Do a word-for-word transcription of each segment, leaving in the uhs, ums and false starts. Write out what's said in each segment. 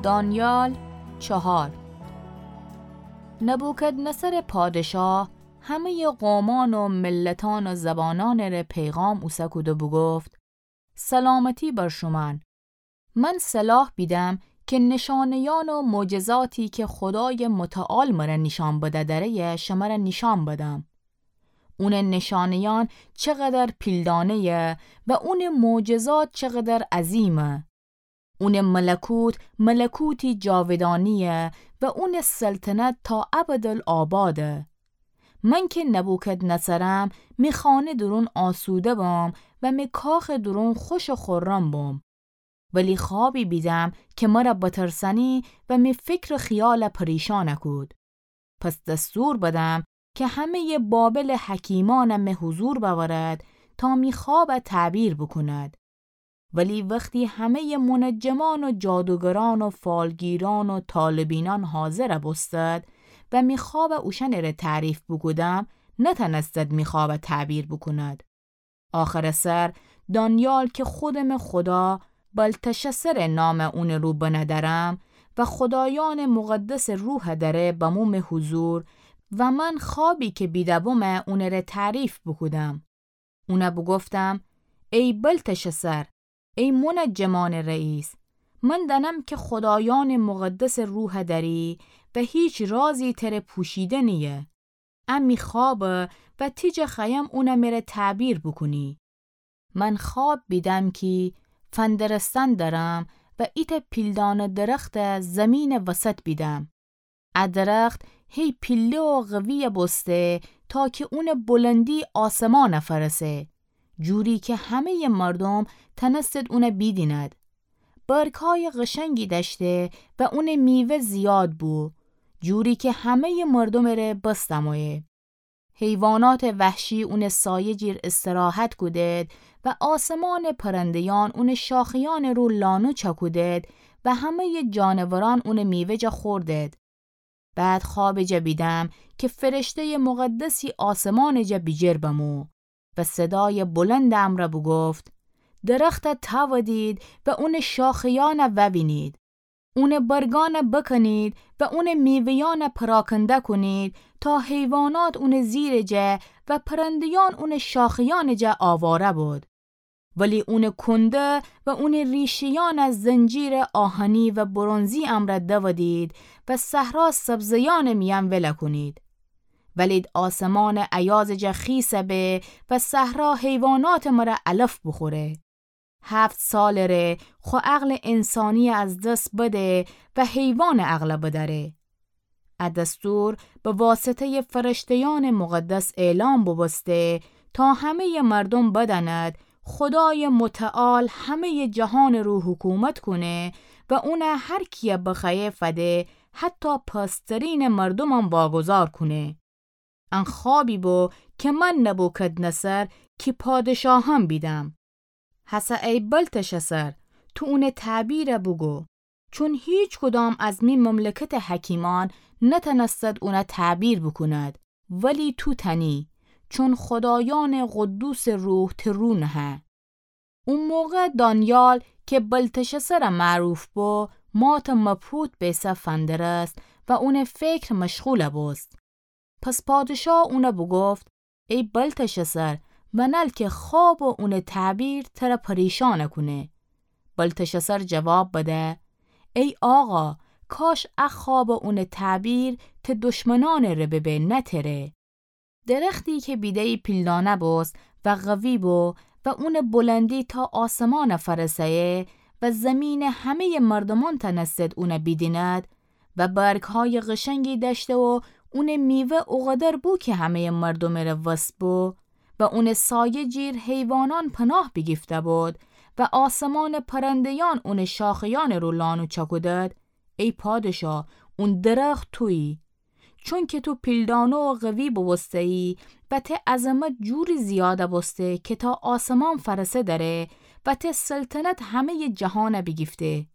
دانیال چهار. نبوکدنصر پادشاه همه‌یٚ قومأن و ملتأن و زبانأنٚره پیغام اوسه کود و بوگفت: سلامتی بر شومأن. من صلاح بیدم که نشانه‌یأن و معجزاتی که خودایٚ متعال مره نیشأن بده دأره‌یه شمره نیشأن بدم. اونٚ نشانه‌یأن چقدر پیلدانه‌یه و اونٚ معجزات چقدر عظیمه. اونٚ ملکوت ملکوتی جاودانی‌یه و اونٚ سلطنت تا ابدالآباده. من که نبوکدنصرم، می خانه درون آسوده بم و می کاخٚ درون خوش و خرم بم. ولی خوابی بیدم که مره بترسأنی و می فکر و خیال پریشان کود. پس دستور بدم که همه‌یٚ بابلٚ حکیمأن می حضور بأورد تا می خواب تعبیر بوکوند. ولی وختی همه‌یٚ منجمأن و جادوگرأن و فالگیرأن و طالبینأن حاضر بوستد و می خواب اوشأنٚره تعریف بوکودم، نتأنستد می خواب تعبیر بوکوند. آخرٚ سر دانیال که خودمٚ خودا بلتشسرٚ نام اونٚ رو بنه دأرم و خودایأنٚ مقدسٚ روح دأره بمو می حضور و من خوابی که بیده بومه اونٚره تعریف بوکودم. اونه بوگفتم: ای بلتشسر، ای منجمأنٚ رئیس، من دأنم که خودایأنٚ مقدسٚ روح دأری و هیچ رازی تره پوشیده نییه. ا می خوابه و تی جا خوأیم اونه مره تعبیر بوکونی. من خواب بیدم کی فندرستن دأرم و ایتأ پیلدانه درخته زیمینٚ وسط بیدم. ا درخت هی پیله و قوی بوسته تا کی اونٚ بلندی آسمانه فرسه، جوری کی همه‌یٚ مردوم تأنستد اونه بیدیند. برگه‌یٚ قشنگی دأشته و اونٚ میوه زیاد بو، جوری کی همه‌یٚ مردومٚ ره بس دمویه. حیواناتٚ وحشی اونٚ سایه جیر استراحت کودید و آسمانٚ پرنده‌یأن اونٚ شاخه‌یأنٚ رو لانه چکودید و همه‌یٚ جانورأن اونٚ میوه جا خوردید. بعد خوابٚ جا بیدم کی فرشته‌یٚ مقدسی آسمانٚ جا بیجیر بمو و صدایٚ بلندٚ امرأ بوگفت: درخته تأودید و اونٚ شاخه‌یأنه ووینید. اونٚ برگأنه بکنید و اونٚ میوه‌یأنه پراکنده کونید تا حیوانات اونٚ زیرٚ جا و پرنده‌یأن اونٚ شاخه‌یأنٚ جا آواره بود. ولی اونٚ کنده و اونٚ ریشه‌یأنه زنجیرٚ آهنی و برنزی امرأ دودید و صحرا سبزه‌یأنٚ میأن وله کونید. ولید آسمانٚ ایازٚ جا خیسه به و صحرا حیواناتٚ مره علف بوخوره. هفت سالٚ ره خو عقلٚ انسانی از دس بده و حیوانٚ عقل بدأره. ا دستور به واسطه‌یٚ فرشته‌یأنٚ مقدس اعلام بوبوسته تا همه‌یٚ مردوم بدأند خودایٚ متعال همه‌یٚ جهانٚ رو حکومت کونه و اونه هر کیه بخوأیه فده، حتی پسترینٚ مردومم واگذار کونه. ان خوابی بو کی من نبوکدنصر کی پادشاهم بیدم. هسه ای بلتشسر، تو اونٚ تعبیره بوگو، چون هیچکدام از می مملکتٚ حکیمأن نتأنستد اونه تعبیر بوکوند، ولی تو تأنی، چون خودایأنٚ قدوسٚ روح تی رو نهه. او موقع دانیال کی بلتشسر معروف بو، مات مبهوت بیسه فندرست و اونٚ فکر مشغول بوست. پس پادشاه اونه بوگفت: ای بلتشسر، منل کی خواب و اونٚ تعبیر تره پریشان کونه. بلتشسر جواب بده: ای آقا، کاش ا خواب و اونٚ تعبیر تی دشمنأنٚ ره ببه، نه تره. درختی کی بیده‌یی پیلدانه بوست و قوی بو و اونٚ بلندی تا آسمان فرسه‌یه و زیمینٚ همه‌یٚ مردومأن تأنستد اونه بیدیند و برگه‌یٚ قشنگی دأشته و اونٚ میوه اوقدر بو کی همه‌یٚ مردومٚ ره وس بو و اونٚ سایه جیر حیوانأن پناه بیگیفته بود و آسمانٚ پرنده‌یأن اونٚ شاخه‌یأنٚ رو لانه چکودد، ای پادشاه، اون درخت تویی. چونکی تو پیلدانه و قوی بوبوسته‌یی و تی عظمت جوری زیاد بوسته کی تا آسمان فرسه دأره و تی سلطنت همه‌یٚ جهان بیگیفته.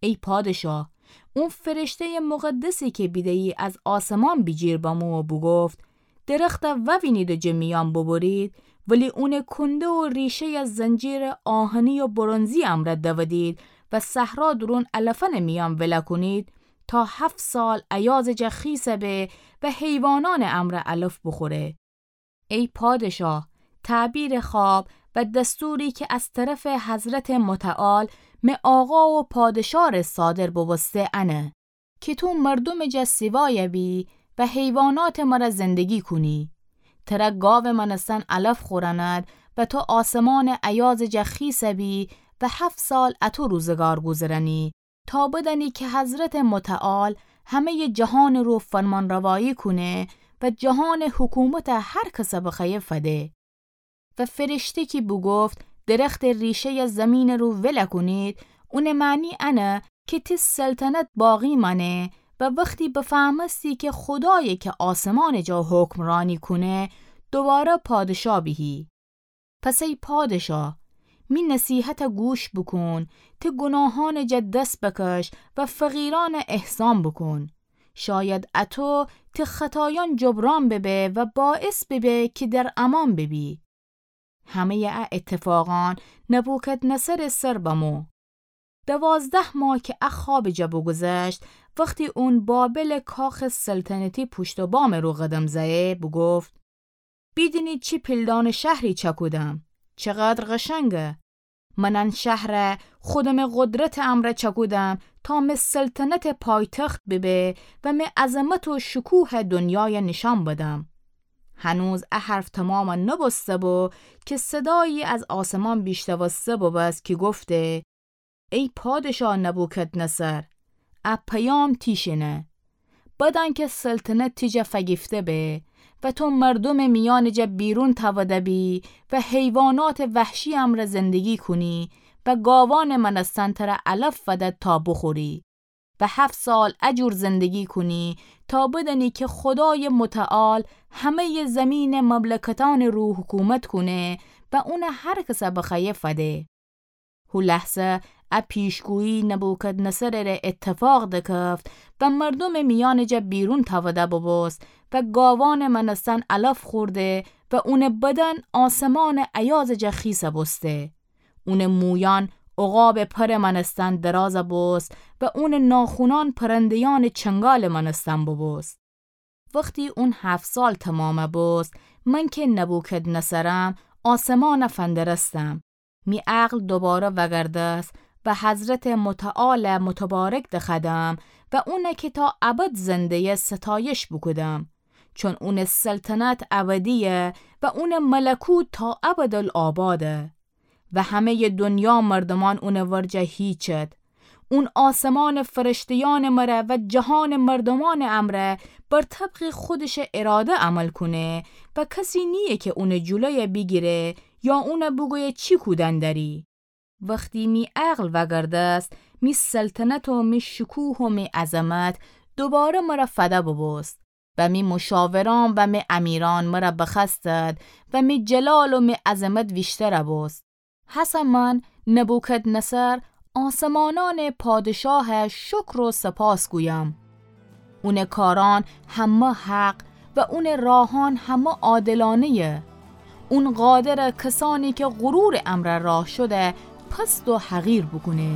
ای پادشاه، اون فرشته‌یٚ مقدسی کی بیده‌یی از آسمان بیجیر بمو و بوگفت: درخته ووینید و جٚه میأن بوبرید، ولی اونٚ کنده و ریشه‌یه زنجیرٚ آهنی و برنزی امرأ دودید و صحرا دورون علفأنٚ میأن ولأ کونید، تا هفت سال ایازٚ جا خیسَ به و حیوانأنٚ امرأ علف بوخوره. ای پادشاه، تعبیرٚ خواب و دستوری که از طرفٚ حضرتٚ متعال، مه آقا و پادشاه ره صادر بوبوسته انه، که تو مردومٚ جا سیوایَ بی و حیواناتٚ مره زندگی کونی. تره گاوٚ مأنستن علف خورأند و تو آسمانٚ ایازٚ جا خیسَ بی و هفت سال اطو روزگار گوذرأنی، تا بدأنی که حضرتٚ متعال همه‌یٚ جهانٚ رو فرمانروایی کونه و جهانٚ حکومتَ هر کسَ بخوأیه فده. و فرشته کی بوگفت درختٚ ریشه‌یَ زیمینٚ رو ولأ کونید، اونٚ معنی انه که تی سلطنت باقی مأنه و وختی بفهمستی که خودایَ که آسمانٚ جا حکمرأنی کونه، دوباره پادشاه بیهی. پس ای پادشاه، می نصیحتَ گوش بوکون، تی گوناهأنٚ جا دس بکش و فقیرأنَ احسان بوکون. شاید اطو تی خطایأن جبران ببه و باعث ببه که در امان ببی. همه‌یٚ ا اتفاقأن نبوکدنضرٚ سر بمو. دوازده ماه که ا خوابٚ جا بوگوذشت، وختی اون بابلٚ کاخٚ سلطنتی پوشت و بامٚ رو قدم زأیه، بوگفت: بیدینید چی پیلدانٚ شهری چأکودم، چقدر قشنگه! من ان شهرَ خودمٚ قدرتٚ امرأ چأکودم تا مه سلطنتٚ پایتخت ببه و مه عظمت و شکوهَ دنیایَ نیشأن بدم. هنوز ا حرف تمامَ نوبوسته بو که صدایی از آسمان بیشنوسته بوبوست که گفته: ای پادشاه نبوکدنضر، ا پیام تیشینه. بدأن که سلطنت تی جا فگیفته به و تو مردومٚ میأنٚ جا بیرون تأوده بی و حیواناتٚ وحشی امرأ زندگی کونی و گاوأنٚ مأنستن تره علف فدد تا بوخوری و هفت سال ا جور زندگی کونی تا بدأنی که خودایٚ متعال همه‌یٚ زیمینٚ مملکتأنٚ رو حکومت کونه و اونَ هر کسَ بخوأیه فده. هو لحظه ا پیشگویی نبوکدنضرٚ ره اتفاق دکفت و مردومٚ میأنٚ جا بیرون تأوده بوبوست و گاوأنٚ مأنستن علف خورده و اونٚ بدن آسمانٚ ایازٚ جا خیسَ بوسته. اونٚ مویأن عقابٚ پرٚ مأنستن درازَ بوست و اونٚ ناخونأن پرنده‌یأنٚ چنگالٚ مأنستن بوبوست. وختی اون هفت سال تمامَ بوست، من که نبوکدنضرم، آسمانَ فندرستم. می عقل دوباره وأگردست و حضرتٚ متعالَ متبارک دخوأدم و اونَ که تا ابد زنده‌یه ستایش بوکودم، چون اونٚ سلطنت ابدی‌یه و اونٚ ملکوت تا ابدالآباده. و همه‌یٚ دنیا مردومأن اونٚ ورجه هیچد. اون آسمانٚ فرشته‌یأنٚ مره و جهانٚ مردومأنٚ امرأ بر طبقٚ خودشٚ اراده عمل کونه و کسی نییه که اونٚ جلویَ بیگیره یا اونَ بوگویه چی کودن دأری. وختی می عقل وأگردست، می سلطنت و می شکوه و می عظمت دوباره مره فده بوبوست. و می مشاورأن و می امیرأن مره بخوأستد و می جلال و می عظمت ویشترَ بوست. هسه من نبوکدنضر آسمانأنٚ پادشاه شکر و سپاس گویم. اونٚ کارأن همه حق و اونٚ راهأن همه عادلانه‌یه. اون قادره کسأنی که غرورٚ امرأ راه شده پست و حقیر بوکونه.